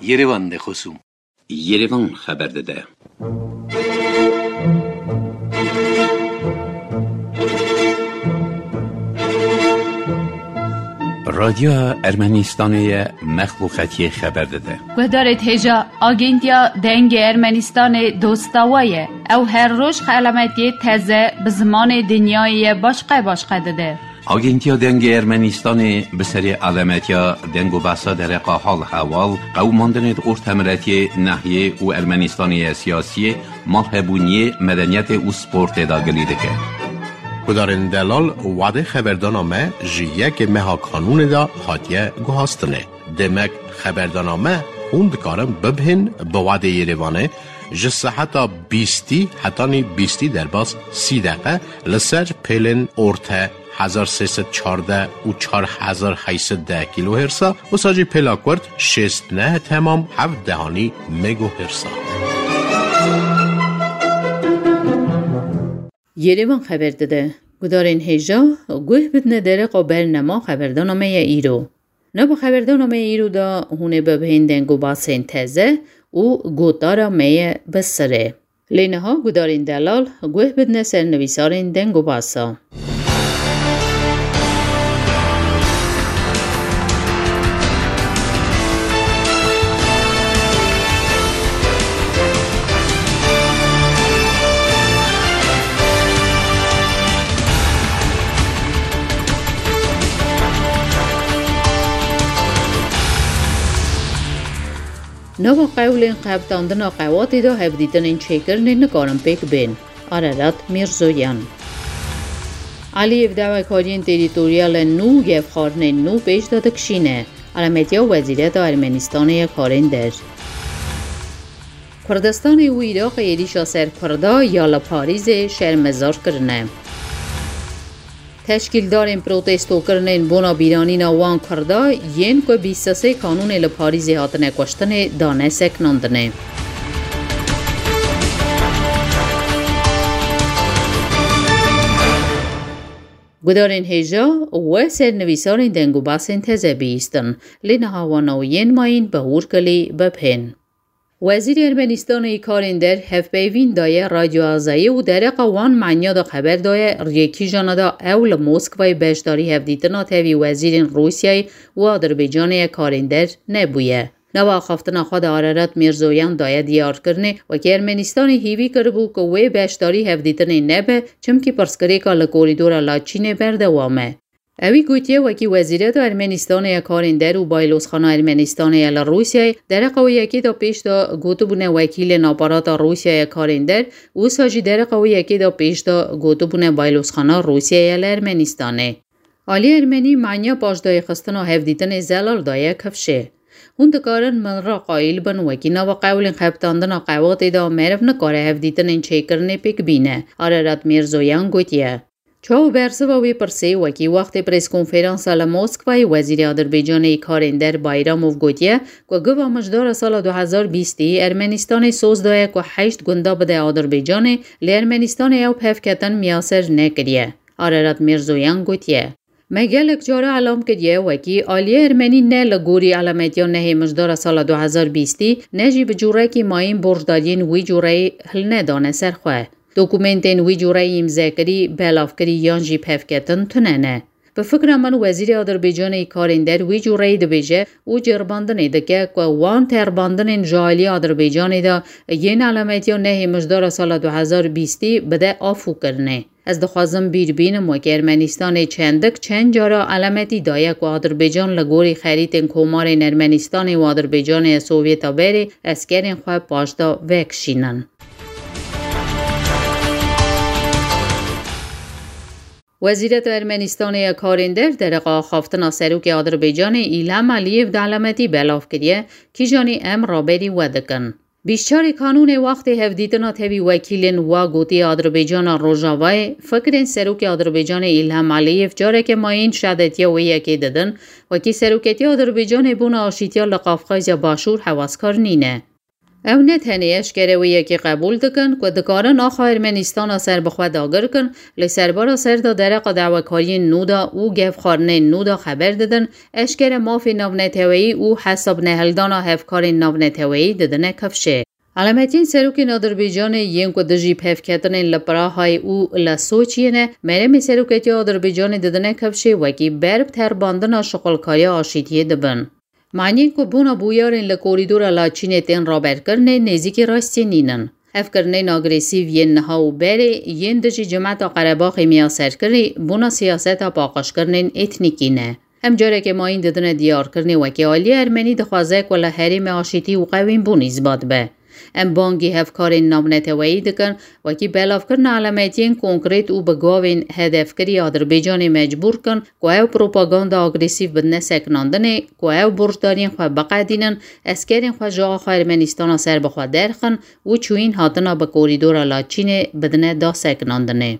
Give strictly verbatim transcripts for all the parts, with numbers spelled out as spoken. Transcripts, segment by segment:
Yerevan de xosûm. Yerevan xeber dide. Radyoya Ermenistanê ye, mexluqetiyê xeber dide. Guhdarê hêja, Agentiya Dengê Ermenistanê dosta we ye. Ew her roj xelametiyê teze bi zimanê dinyayê ye başqe başqe dide. Agentiya Dengê Ermenistanê bi serê alemetiya deng û behsa dereqa hal hewal, qewimandinê di ortemiretiyê, nehiyê û Ermenistanê ye siyasiyê, malhebûniyê, medeniyetê û sportê de gilî dike. Gudarên delal, wadê xeberdana me ji yekê meha kanûnê de hatiye guhastinê. Demek xeberdana me hûn dikarin bibihên bi wadê Yerevanê ji seheta bîstî hetanî bîstî derbas sî deqe li ser pêlên orte hezar sê sed çardeh û çar hezar heyt sed deh kîlohêrsa, wisa jî pêla kurt şêst neh temam heft dehanî megohêrsa. Yerevan xeber dide. Gudarên hêja, guh bidine dereqa bernema xeberdana me ye îro. Nava xeberdana me îro de hûn ê bibihên deng û basên teze û gotara me ye bi sirê. Lê niha gudarên delal guh bidine ser nivîsarên deng û basa. Nava qewlên qebtandina qewatê de hevdîtinên çêkirinê nikarin pêk bên. Arerat Mîrzoyan. Alîyev dawekariyên terîtoryal nû û gefxwarinên nû pêş de dikişîne. Alametiya Wezîreta Ermenistanê ya Karên Der. Kurdistanê û Iraqê êrîşa ser Kurda ya li Parîzê şermezar kirine. Teşkîldarên protestokirinên bona bîranîna wan Kurda yên ku bîst û sê kanûnê li Parîzê hatine kuştinê dane sekinandinê. Gudarên hêja we ser nivîsarên deng û basên teze bihîstin, lê niha wan ew yên mayîn bi hûrkilî bibihên. Wezîrê Ermenistanê yê Karên Der hevpeyvîn daye Radyo Azayî û dereqa wan manya de xeber daye, riyê kîjana de ew li Moskwayê beşdarî hevdîtina tevî wezîrên Rûsyayê û Adirbaycanê ya Karên Der nebûye. Nava axaftina xwe de Ararat Mîrzoyan daye diyarkirinê, wekî Ermenistanê hîvî kiribû ku wê beşdarî hevdîtinê nebe, çimkî pirsgirêka li korîdora Laçînê berdewam e. Ewî gotiye, wekî Wezîreta Ermenistanê ya Karên Der û Baylozxana Ermenistanê ya li Rûsyayê, dereqa wê yekê de pêş de gotibûne wekîlên aparata Rûsya ya Karên Der, wisa jî dereqa wê yekê de pêş de gotibûne Baylozxana Rûsya ya li Ermenistanê. Alî Ermenî manya paşdayîxistina hevdîtinê zelal daye kifşê. Hûn dikarin min re qayîl bin, wekî nava qewlên xebitandina qewatê de meriv nikare hevdîtinên çêkirinê pêk bîne, Ararat Mîrzoyan gotiye. Çawa bersiva wê pirsê, wekî wextê preskonferansa li Moskwayê Wezîrê Adirbaycanê yê Karên Der Bayramov gotiye ku giva mijdara sala du hezar bîstî Ermenistanê soz daye ku heşt gunda bide Adirbaycanê, lê Ermenistanê ew pevketin miyaser nekiriye. Ararat Mîrzoyan gotiye. Me gelek cara elam kiriye, wekî aliyê ermenî ne li gorî elametiya nehê mijdara sala du hezar bîstî, ne jî bi cûrekî mayîn borcdariyên wî cûreyî hilnedane ser xwe. Dokumentên wî cûreyî îmzekirî, belavkirî yan jî pevketin tune ne. Bi fikra min, Wezîrê Adirbaycanê yê Karên Der wî cûreyî dibêje û ceribandinê dike ku wan teribandinên ji aliyê Adirbaycanê de yên elametiya nehê mijdara sala du hezar bîstî bide afûkirinê. Ez dixwazim bîr bînim, wekî Ermenistanê çendik çend cara elametî daye ku Adirbaycan li gorî xerîtên komarên Ermenistanê û Adirbaycanê ya Sovyeta berê eskerên xwe paşda vekişînin. Wezîreta Ermenistanê ya Karên Der dereqa axaftina Serokê Adirbaycanê Îlham Aliyev di elametî belav kiriye, kîjanî em raberî we dikin. Bîst çarê Kanûnê wextê hevdîtina tevî wekîlên wa gotî Adirbaycana Rojavayê, fikirên Serokê Adirbaycanê Îlham Aliyev careke mayîn şedetiya wê yekê didin, wekî seroketiya Adirbaycanê bona aşîtiya li Qafqazya Başûr hewaskar nîne. Ew ne tenê eşkere wê yekê qebûl dikin ku dikarin axa Ermenîstana serbixwe dagir kin, lê serbara ser de dereqa dawekariyên nû de û gevxwarinên nû de xeber didin, eşkere mafê navneteweyî û hesabnehildana hevkarên navneteweyî didine kifşê. Alametiyên serokên Adirbaycanê yên ku dijî pevketinên li Prahayê û li Soçiyê ne, meremê seroketiya Adirbaycanê didine kifşê wekî ber bi terbandina şixulkariya aşîtiyê dibin. Maniyên ku bona bûyerên li korîdora Laçînê tên raberkirinê nêzîkî rastiyê nînin. Ev kirinên agresîv yên niha û berê yên dijî cemeta Qerebaxê miyaserkirî bona siyaseta paqijkirinên etnîkî ne. Em careke mayîn didine diyarkirinê wekî aliyê Ermenî dixwaze ku li herêmê aşîtî û qewînbûn îsbat be. Em bangî hevkarên navneteweyî dikin, wekî belavkirina alametiyên konkrêt û bi gavên hedefkirî Adirbaycanê mecbûr kin ku ew propaganda agresîv bidine sekinandinê, ku ew borcdariyên xwe biqedînin, eskerên xwe ji axa Ermenîstana serbixwe derxin û çûyîn hatina bi korîdora Laçînê bidine dasekinandinê.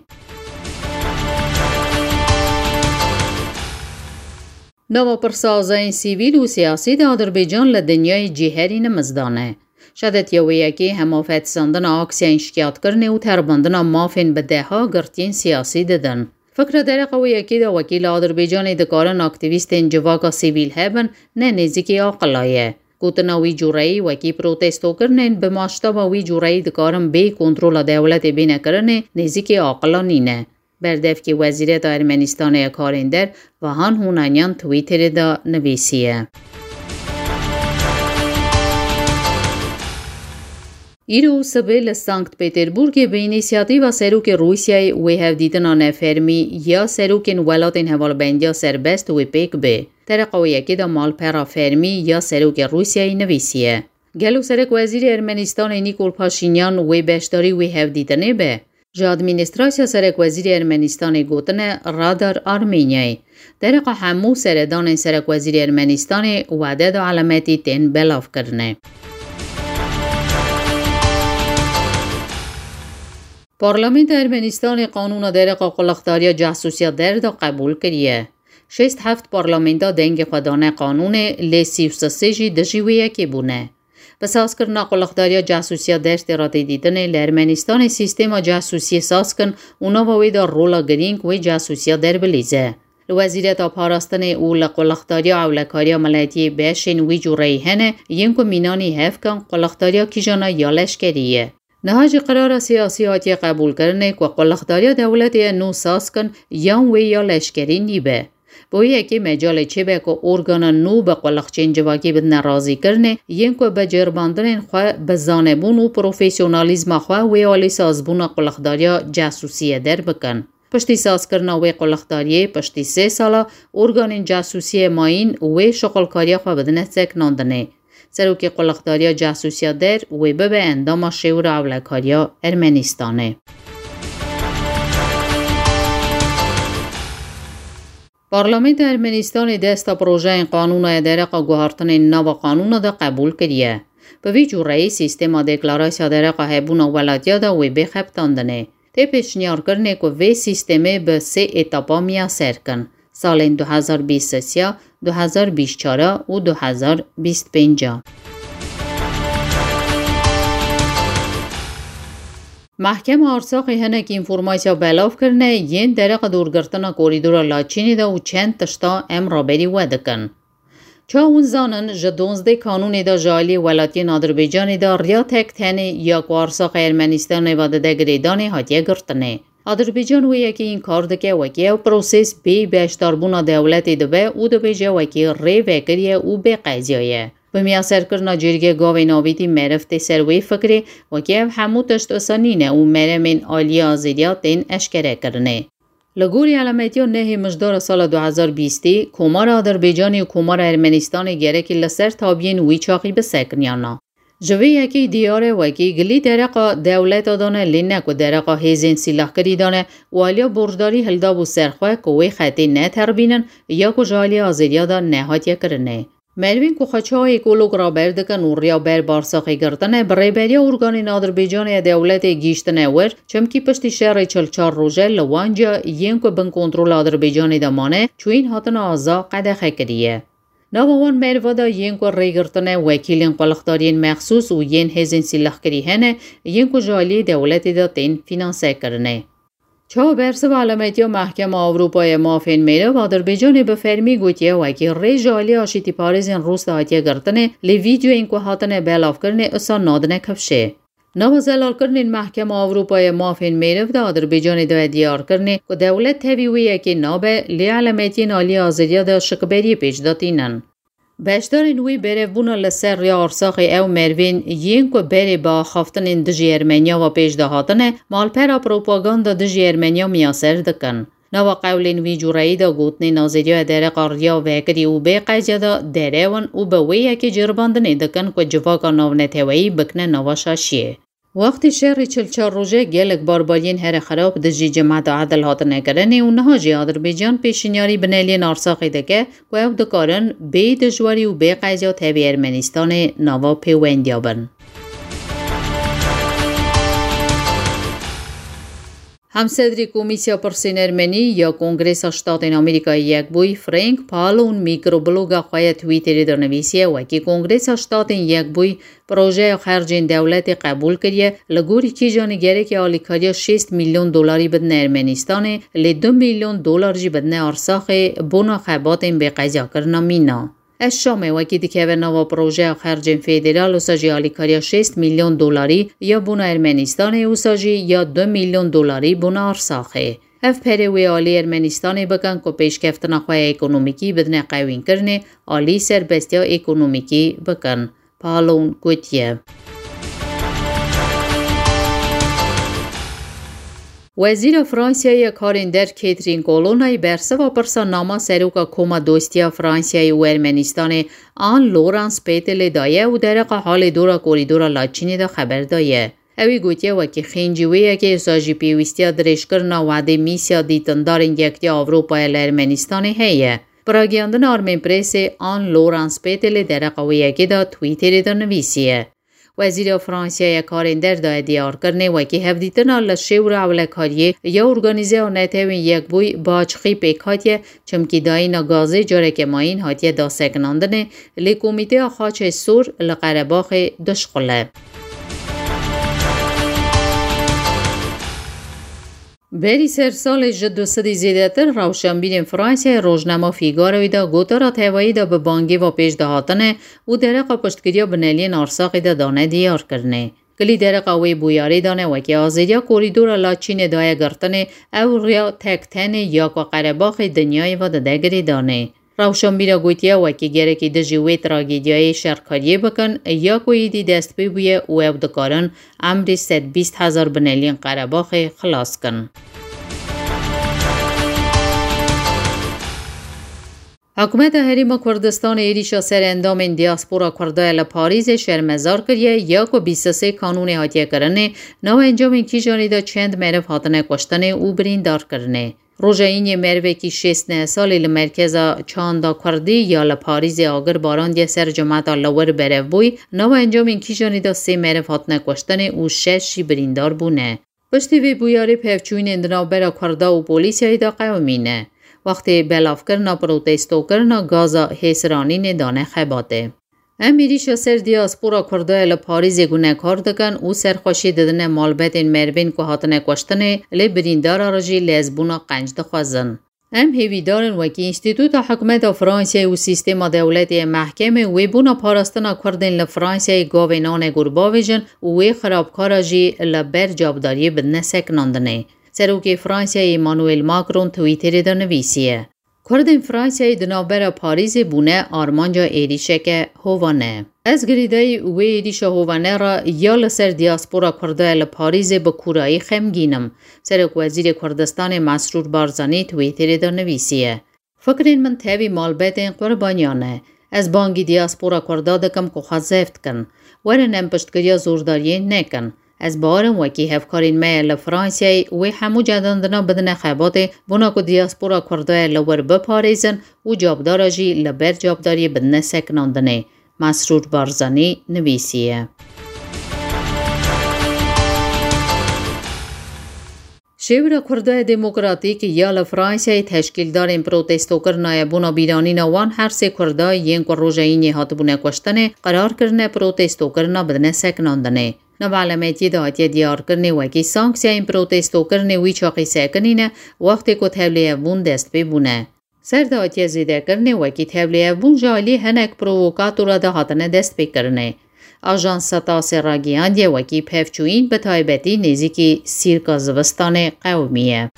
Nava pirsa azayên sivîl û siyasî di Adirbaycan li dinyayê cî herî nimizdan e. Şedetiya wê yekê hema fetisandina aksiyayên şikiyatkirinê û terbandina mafên bi deha girtiyên siyasî didin. Fikra dereqa wê yekê de wekî li Adirbaycanê dikarin aktîvîstên civaka sivîl hebin, ne nêzîkî aqila ye. Gotina wî cûreyî wekî protestokirinên bi maştaba wî cûreyî dikarin bê kontrola dewletê bêne kirinê, nêzîkî aqila nîne. Berdevkê Wezîreta Ermenîstanê ya Karên Der, Vahan Hunanyan Twitterê de nivîsiye. Îro û sibê li Sankt Peterburgê bi înîsiyatîva Serokê Rûsyayê wê hevdîtina nefermî ya serokên welatên hevalbendiya serbest wê pêk bê. Dereqa wê yekê de malpera fermî ya Serokê Rûsyayê nivîsiye. Gelo Serekwezîrê Ermenîstanê Nîkol Paşînyan wê beşdarî wê hevdîtinê be? Ji Administrasya Serekwezîrê Ermenîstanê gotine Radar Armenyayê. Dereqa hemû seredanên Serekwezîrê Ermenîstanê wade de alametî tên belavkirinê. Parlamenta Ermenîstanê qanûna dereqa qulixdariya casûsiya der de qebûl kiriye. Şêst heft parlamenta dengê xwe dane qanûnê, lê sî û sê jî dijî wê yekê bûne. Bi sazkirina qulixdariya casûsiya der tê re tê dîtinê li Ermenîstanê sîstema casûsiyê saz kin û nava wê de rola girîng wê casûsiya der bilîze. Li Wezîreta Parastinê û li Qulixdariya Ewlekariya Miletiyê beşên wî cûreyî hene, yên ku mînanî hev kin qulixdariya kîjana ya leşkerî ye. Niha jî qirara siyasî hatiye qebûlkirinê ku qulixdariya dewletê ye nû saz kin yan wê ya leşkerî nîbe. Bi wê yekê mecalê çêbe ku organa nû bi qulixçên civakî bidine razîkirinê, yên ku bi ceribandinên xwe, bi zanebûn û profesyonalîzma xwe wê alî sazbûna qulixdariya casûsiyê der bikin. Piştî sazkirina wê qulixdariyê, piştî sê sala, organên casûsiyê mayîn wê şixulkariya xwe bidine sekinandinê. Serokê Qulixdariya Casûsiya Der wê bibe endama Şêwira Ewlekariya Ermenîstanê. Parlamenta Ermenîstanê desta projeyên qanûna ya dereqa guhartinên nava qanûna de qebûl kiriye. Bi vî cûreyî, sîstema deklarasya dereqa hebûna welatiya de wê bê xebitandinê. Tê pêşniyarkirinê ku vê sîstemê bi sê etapa miyaser kin, salên du hezar bîst û sê, du hezar bîst û çar û du hezar bîst û pênc. Mehkema Arsaxê hinek înformasya belav kirine yên dereqa dorgirtina korîdora Laçînê de û çend tişta em raberî we dikin. Çawa hûn zanin, ji duwazdeh Kanûnê de ji aliyê welatiyên Adirbaycanê de riya tek tenê ya ku Arsaxê Ermenîstanê ve dide girêdanê hatiye girtinê. Adirbaycan wê yekê înkar dike, wekî ew proses bêyî beşdarbûna dewletê dibe û dibêje wekî rê vekiriye û bê qeziya ye. Bi miyaserkirina cêrgê gavên avîtî meriv tê ser wê fikrê, wekî ev hemû tişt wisa nîne û meremên aliyê azêriya tên eşkerekirinê. Li gorî elametiya nehê mijdara sala du hezar bîstê, Komara Adirbaycanê û Komara Ermenistanê gerekî li ser tabiyên wî çaxî bisekiniyana. Ji vê yekê diyar e wekî gilî dereqa dewleta de ne, lê ne ku dereqa hêzên sîlahkirî de ne û aliya borcdarî hildabû ser xwe ku wê xetê neterbînin ya ku ji alî azêriya de nehatiye kirinê. Merivên ku xwe çawa ekolog raber dikin û riya ber barsaxê girtine, bi rêberiya organên Adirbaycanê ya dewletê gihîştine wir, çimkî piştî şerê çil çar roje li Wanca yên ku bin kontrola Adirbaycanê de mane, çûyîn hatina aza qedexe kiriye. Nava wan merva de yên ku rêgirtine, wekîlên qulixdariyên mexsûs û yên hêzên sîlehkirî hene, yên ku ji aliyê dewletê de tên fînansekirinê. Çawa bersiva elametiya Mehkema Ewropa ya Mafên Mêrev Adirbaycanê bi fermî gotiye, wekî rê ji alî aşîtîparêzên Rûs de hatiye girtinê, lê vîdeoyên ku hatine belavkirinê usa nadine kifşê. Nava zelalkirinên Mehkema Ewropa ya Mafên Mêrev de Adirbaycanê daye diyarkirinê ku dewlet tevî wê yekê nabe, lê elametiyên alî azadiya de şikberiyê pêş de tînin. Beşdarên wê berevbûna li ser rêya Arsaxê ew merivên yên ku berê bi axaftinên dijî Ermeniya ve pêş de hatine, malpera propaganda dijî Ermeniya miyaser dikin. Nava qewlên vî cûreyî de gotinên azadiya dereqa riya vekirî û bê qeziya de derew in û bi wê yekê ceribandinê dikin ku civaka navneteweyî bikine nava şaşiyê. Wextê şerê çil çar roje gelek barbariyên herê xerab dijî cemaeta Edil hatine kirinê û niha jî Adirbaycan pêşinyarî bineliyên Arsaxê dike ku ew dikarin bê dijwarî û bê qeziya tevî Ermenistanê nava pêwendiya bin. Hemsedrî Komîsya Pirsên Ermenî ya Kongresa Ştatên Amerîkayê Yekbûyî Frank Pallone mikrobloga xwe ya Twitterê de nivîsiye, wekî Kongresa Ştatên Yekbûyî projeya xercên dewletê qebûl kiriye, li gorî kîjanê gerekê alîkariya şêst milyon dolarî bidine Ermenistanê, lê du milyon dolar jî bidine Arsaxê bona xebatên bêqeziyakirina mîna. Ez Şamê wekî dikeve nava projeya xercên federal, wisa jî alîkariya şêst milyon dolarî ya bona Ermenistanê, wisa jî ya du milyon dolarî bona Arsaxê. Ev perê wê alî Ermenistanê bikin ku pêşkeftina xwe ya ekonomîkî bidine qewînkirinê, alî serbestiya ekonomîkî bikin. Pallone gotiye. Wezîra Fransiyayê ya Karên Der Catherine Colonna bersiva pirsa nama seroka Koma Dostiya Fransiyayê û Ermenistanê Anne Laurence Petelê daye û dereqa halê dora korîdora Laçînê de xeber daye. Ew ê gotiye, wekî xêncî wê yekê, wisa jî pêwîstiya dirêjkirina wadê mîsya dîtindarên Yekitiya Ewropayê li Ermenistanê heye. Bi ragihayandina Armenpressê, Anne Laurence Petelê dereqa wê yekê de Twitterê de nivîsiye. Wezîra Fransiyayê ya Karên Der daye diyarkirinê, wekî hevdîtina li şêwra ewlekariyê ya Organîzeya Netewên Yekbûyî bi açiqî pêk hatiye, çimkî dayîna gazê careke mayîn hatiye dasekinandinê, lê Komîteya Xaçê Sor li Qerebaxê dişuxile. Berî ser salê ji du sedî zêdetir rewşenbîrên Fransiyayê rojnama Figaroyê de gotara tevayî de bi bangê ve pêş de hatine û dereqa piştgiriya bineliyên Arsaxê de dane diyarkirinê. Kilî dereqa wê bûyerê dane, wekî azadiya korîdora Laçînê daye girtinê, ew riya tek tenê ya ku Qerebaxê dinyayê ve dide girêdanê. Rewşenbîra gotiye, wekî gerekî dijî wê tragediyayê şerkariyê bikin, ya ku êdî dest pê bûye û ew dikarin emrê sed bîst hezar bineliyên Qerebaxê xilas kin. Hikûmeta Herêma Kurdistanê êrîşa ser endamên diaspora Kurda ya li Parîzê şermezar kiriye, ya ku bîst û sê Kanûnê hatiye kirinê, nava encamên kîjanê de çend meriv hatine kuştinê û birîndar kirinê. Roja Îniyê merivekî şêst neh salî li merkeza çanda Kurdî ya li Parîzê agir barandiye ser cemata li wir berev bûyî, nava encamên kîjanê de sê meriv hatine kuştinê û şeş jî birîndar bûne. Piştî vê bûyerê pevçûyînên di navbera Kurda û polîsiyayê de qewimîne. Wextê belavkirina protestokirina gaza hêsiranînê dane xebatê. Em êrîşa ser diaspora Kurda ya li Parîzê gunekar dikin û serxweşiyê didine malbetên merivên ku hatine kuştinê, lê birîndara re jî lezbûna qenc dixwazin. Em hêvîdar in wekî Înstîtuta Hikûmeta Fransiyayê û sîstema dewletê ya mehkemê wê bona parastina Kurdên li Fransiyayê gavên anegor bavêjin û wê xirabkara jî li ber cavdariyê bidine sekinandinê. Serokê Fransiyayê Emmanuel Macron Twitterê de nivîsiye, Kurdên Fransiyayê di navbera Parîzê bûne armanca êrîşeke hovane. Ez girêdayî wê êrîşa hovane re ya li ser diaspora Kurda ya li Parîzê bi kûrayî xemgîn im. Serokwezîrê Kurdistanê Mesrûr Barzanî Twitterê de nivîsiye, Fikrên min tevî malbetên qurbaniyan e. Ez bangî diaspora Kurda dikim ku xwe zeft kin. Werin em piştgiriya zordariyê nekin. Ez bawer im wekî hevkarên me li Fransiyayê wê hemû cedandina bidine xebatê, bona ku diaspora Kurda ya li wir biparêzin û cavdara jî li ber cavdariyê bidine sekinandinê. Mesrûr Barzanî nivîsiye. Şêwira Kurda Demokratîk ya li Fransayê teşkîldarên protestokirina ye bona bîranîna wan her sê Kurda yên ku roja Înê hatibûne kuştinê, qerar kirine protestokirina bidine sekinandinê. Nava elemetiyê de hatiye diyarkirinê wekî sanksiyayên protestokirinê wî çaxî sekinîne, wextê ku tevlîhevbûn dest pê bûne. Ser de hatiye zêdekirinê wekî tevlîhevbûn ji alî hinek provokatora de hatine destpêkirinê. Ajansa Tasê ragihandiye wekî pevçûyîn bi taybetî nêzîkî sîrka zivistanê qewimiye.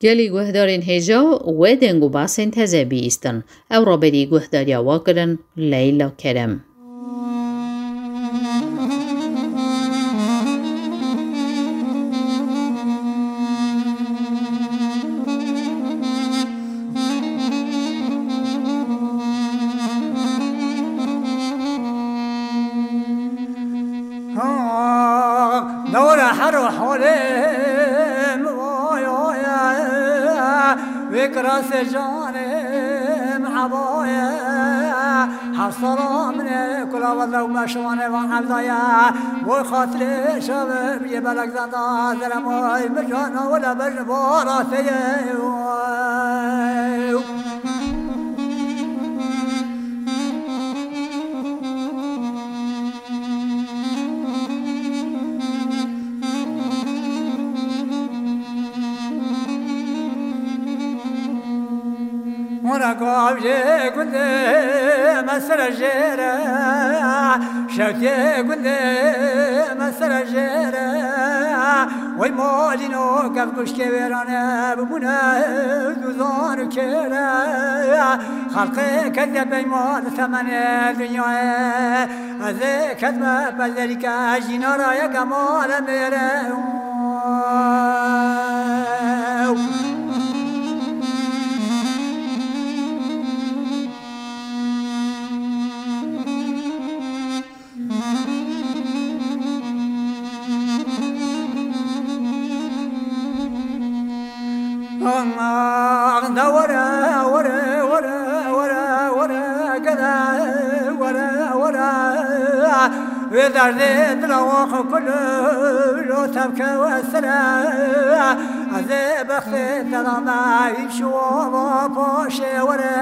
Gelî guhdarên hêja wê deng û basên teze bihîstin. Ew raberî guhdariya wa kirin Leyla Kerem. Ha, dewre her û holê min waya ye, vê kirasê canê min heba ye. Heft sala min ê kula wele û meşiwanê van evda ye. Boy xatirê şevê biyê belek zenda zerem oy min cana wele bejn bara teye. Mora gavjê gundê me sere jêre, şewtê gundê me sere jêre. Wey malîno kef guşkê wêrane bibûne duzan û kêre. Xelqê kediye beyma li temenê dinyayê. Ez ê kedme pezerîke jînara yeke male mêre. Aman da were, were, were, were, were, gele, were, were. Wê derdê dila wan xwe kul lo tevke we sere. Ez ê bextê te da me, îşo va paşê were.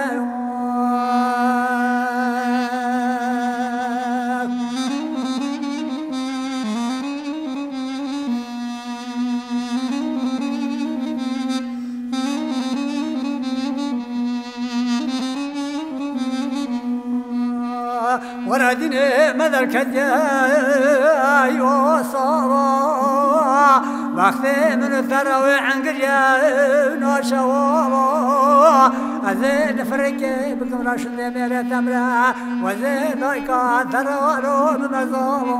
Were dînê me derketiye yo sava. Wextê min û te re wê engiriye naşewa. Ez ê nifirikê bikim reşindê mêrê temre. Wezê dayka te re waro bime zava.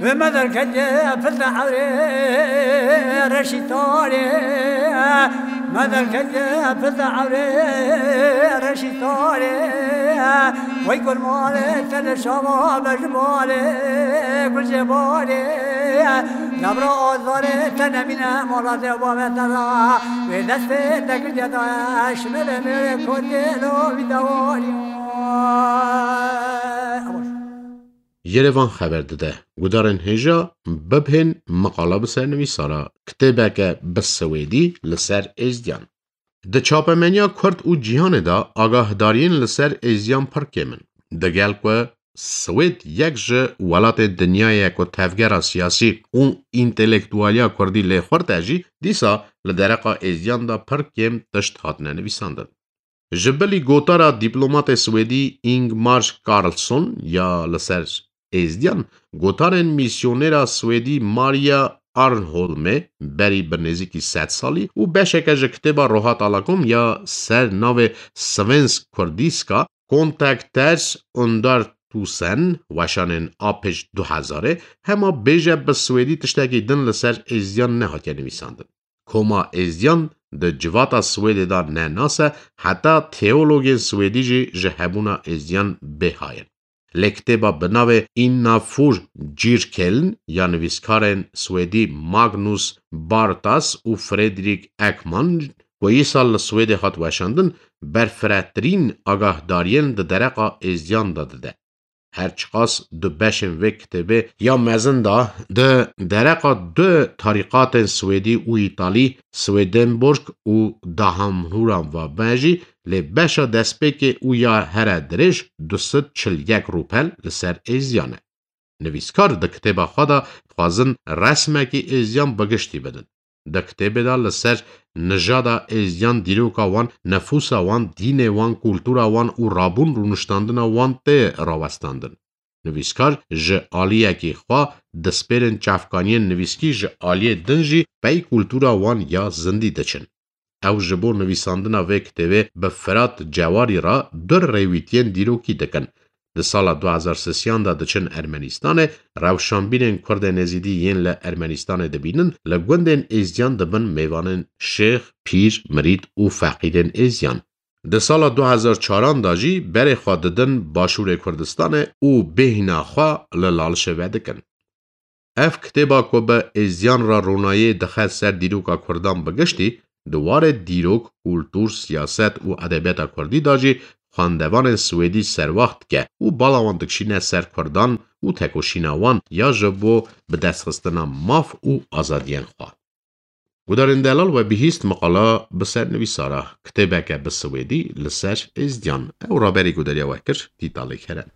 Ve me derketiye pil de ewrê reşî tarê. Me derketiye pil de ewrê reşî tarê. Wey gul malê te li şava bejmalê gul jê balê. Nebra azarê te nemîne mala dê bavê te ra. Wê destê te girdiye daye şimê ve mêrê kotê lo vî dewarî. Yerevan xeber dide, gudarên hêja bibhên miqala bi sernivîsara kitêbeke bi swêdî li ser êzdiyan. Di çapemeniya Kurd û cîhanê de agahdariyên li ser êzdiyan pir kêm in. Digel ku Swêd yek ji welatên dinyayê ye ku tevgera siyasî û întelektualiya kurdî lê xurt e jî, dîsa li dereqa êzdiyan de pir kêm tişt hatine nivîsandin. Ji bilî gotara dîplomatê swêdî Ingmar Karlsson ya li ser êzdiyan, gotarên mîsyonêra swêdî Maria Arnholmê berî bi nêzîkî sed salî û beşeke ji kitêba Rohat Alakom ya ser navê Svensk Kurdiska Kontakters under tusen, weşanên a pêş du hezarê, hema bêje bi swêdî tiştekî din li ser êzdiyan nehatiye nivîsandin. Koma êzdiyan di civata Swêdê de ne nas e, heta teologên swêdî jî ji hebûna êzdiyan bêhay in. Lê kitêba bi navê Inna Fur Cirkeln ya nivîskarên Swêdî Magnus Bartas û Fredrik Ekman, ku îsal li Swêdê hat weşandin, berfiretirîn agahdariyên di dereqa êzdiyan de dide. Her çiqas du beşên vê kitêbê ya mezin de di dereqa du tarîqatên Swêdî û Îtalî, Swedenborg û Dahamhura Vabejî, lê beşa destpêkê û ya here dirêj du sed çil yek rûpel li ser êzdiyan e. Nivîskar di kitêba xwe de dixwazin resmekî êzdiyan bi giştî bidin. Di kitêbê de li ser nijada êzdiyan, dîroka wan, nifûsa wan, dînê wan, kultura wan û rabûn rûniştandina wan tê rawestandin. Nivîskar ji aliyekî xwe dispêrin çavkaniyên nivîskî, ji aliyê din jî pey kultura wan ya zindî diçin. Ew ji bo nivîsandina vê kitêbê bi Firat Cewarî re du rêwîtiyên dîrokî dikin. Di sala du hezar sisiyan de diçin Ermenîstanê, rewşanbîrên Kurdên Êzîdî yên li Ermenîstanê dibînin, li gundên Êzdiyan dibin mêvanên şêx, pîr, mirîd û feqîrên Êzdiyan. Di sala du hezar çaran de jî berê xwe didin Başûrê Kurdistanê û bêhna xwe li Lalişê vedikin. Ev kitêba ku bi êzdiyan re ronayê dixe ser dîroka Kurdan bi giştî, di warê dîrok, kultur, siyaset û edebiyata Kurdî de jî xwendevanên Swêdî serwaxt dike û bala wan dikişîne ser Kurdan û tekoşîna wan ya ji bo bidestxistina maf û azadiyên xwe. Gudarên delal, we bihîst meqala bi ser nivîsara kitêbeke bi Swêdî li ser êzdiyan. Ew raberî gudariya we kir, Tîtalê Kerem.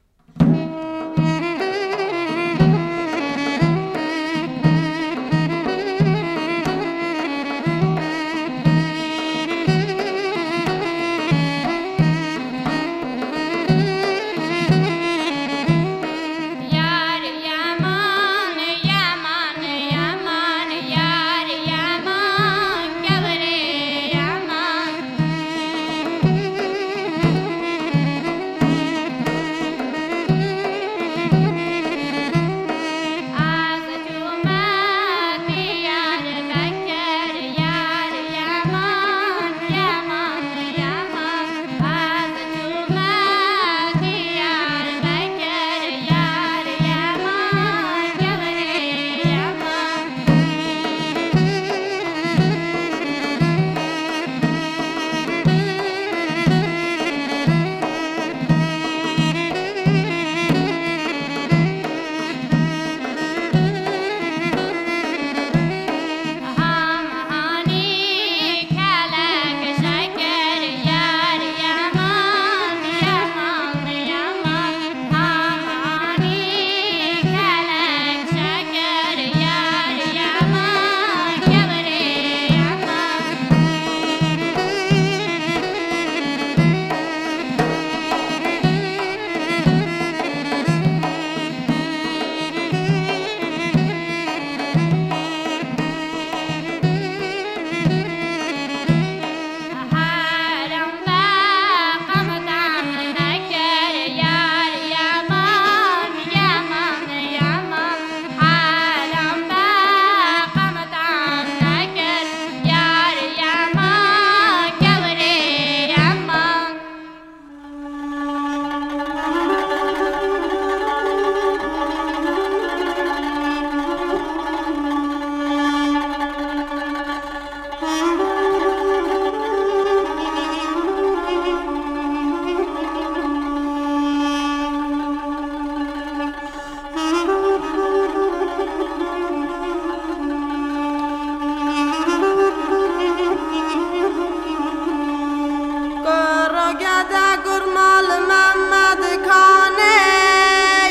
Kurogede kurmal Mehmed Kanê,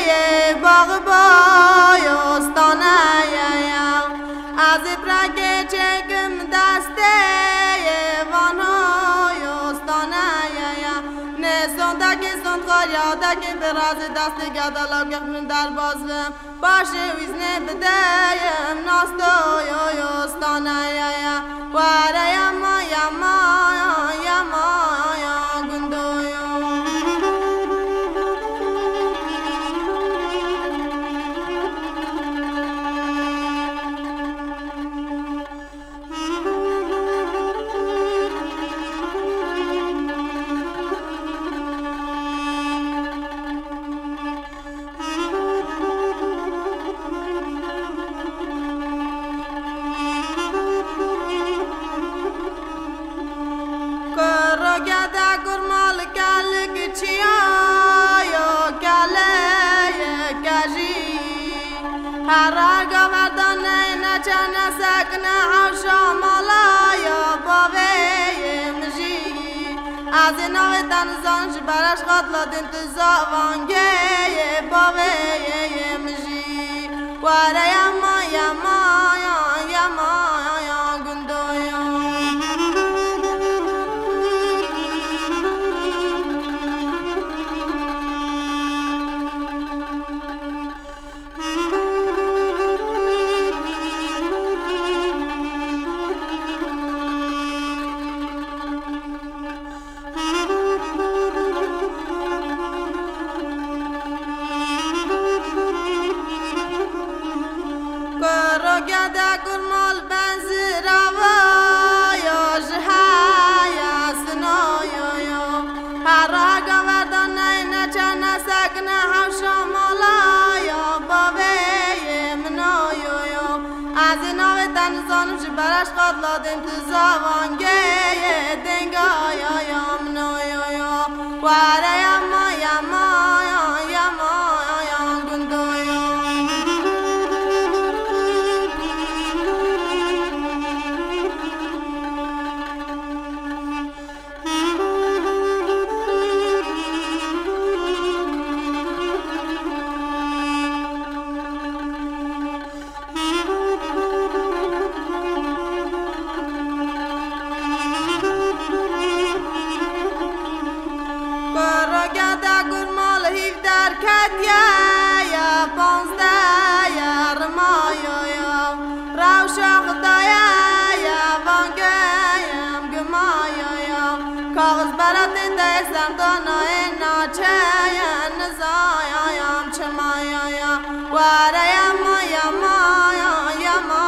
yê Bağboy Ostaneye ya. Ez ê pirekê çêkim destê, yê Vanoy Ostaneye ya. Nê sondekî sond xwarya dekî bi razî destê gedala gix min derbaz bim. Paşê wîznê bideyim, nastoyoyo stanayaya. Were yama, yama, yama, ya gundoyo. Hera gaverdanê neçe nesekine hewşa mala ya bavê yê min jî. Ez ê navê te nizan ji beraş qatla din tu zavangê yê bavê yê min jî. Were yema, yema, ya, yema, ya, gundo ya. Kuro gede kurmal benzirava ya ji haya sinoyo yo. Hera gaverdanê neçe nesekine hewşa mala ya bavê yê min o yo yo. Ez ê navê te nizanim ji beraş qatla din tu zavangê yê denga ya ya min o yo yo. Were yema, yema, ya, yema, ya, gundo ya. Kuro gede kurmal hîv derketiye ya, panzdeh ya, rimayo ya. Rewşa Xwedayê ya, vangeyim gimayo ya. Kaxiz beratê te ye, sendana ye, naçe ye, nizayayam çimayo ya. Were yema, yema, ya, yema,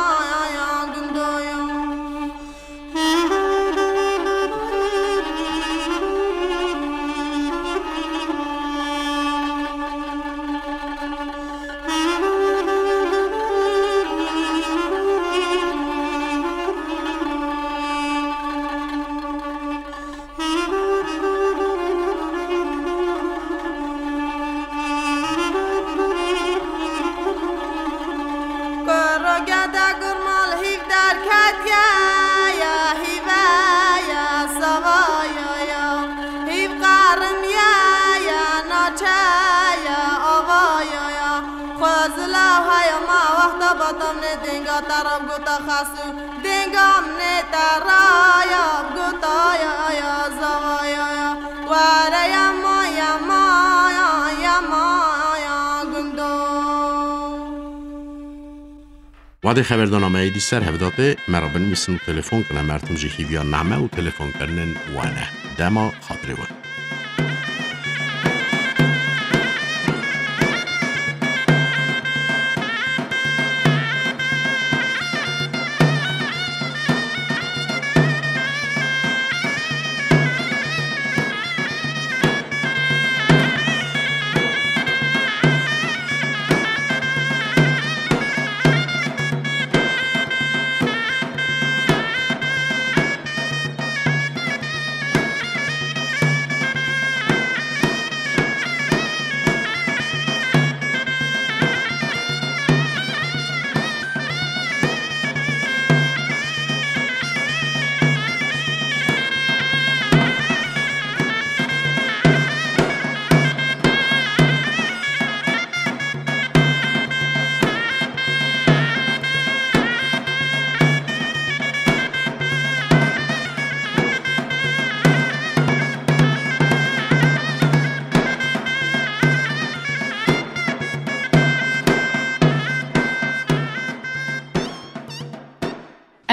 ya, gundo ya. Kuro gede kurmal hîv derketiye ya, hîve ya, savaya ya. Hîv qarimiye ya, naçe ya, avaya ya. Xwezila haya ma wexta batamne denga te ra gota xasu. Denga min ê te raya, gotaya ya, zavaya ya. Were yema, yema, ya, yema, ya, gundo. Wadê xeberdana me êdî ser hev datê, me re binivîsin û telefon kine. Mertim ji hîviya name û telefonkirinên we ne. Dema xatirê we.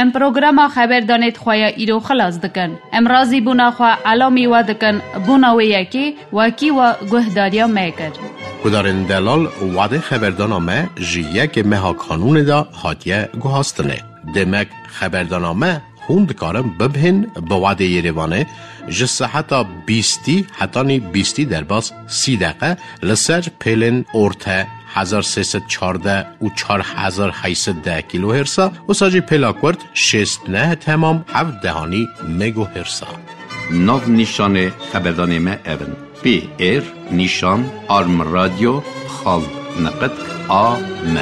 Em programa xeberdanê di xwe ya îro xilas dikin. Em razîbûna xwe elamî we dikin, bona wê yekê wekî we guhdariya me kir. Guhdarên delal, wadê xeberdana me ji yekê meha Kanûnê de hatiye guhastinê. Demek xeberdana me hûn dikarin bibihên bi wadê Yerêvanê ji seheta bîstî hetanî bîstî derbas sî deqe li ser pêlên orte hezar sê sed çardeh û çar hezar heyt sed deh kilohertsa, wisa jî pêla kurt şêst neh temam heft dehanî megohertsa. Nav nîşanê xeberdanê me ev in: P R nîşan arm radio xal niqit A M.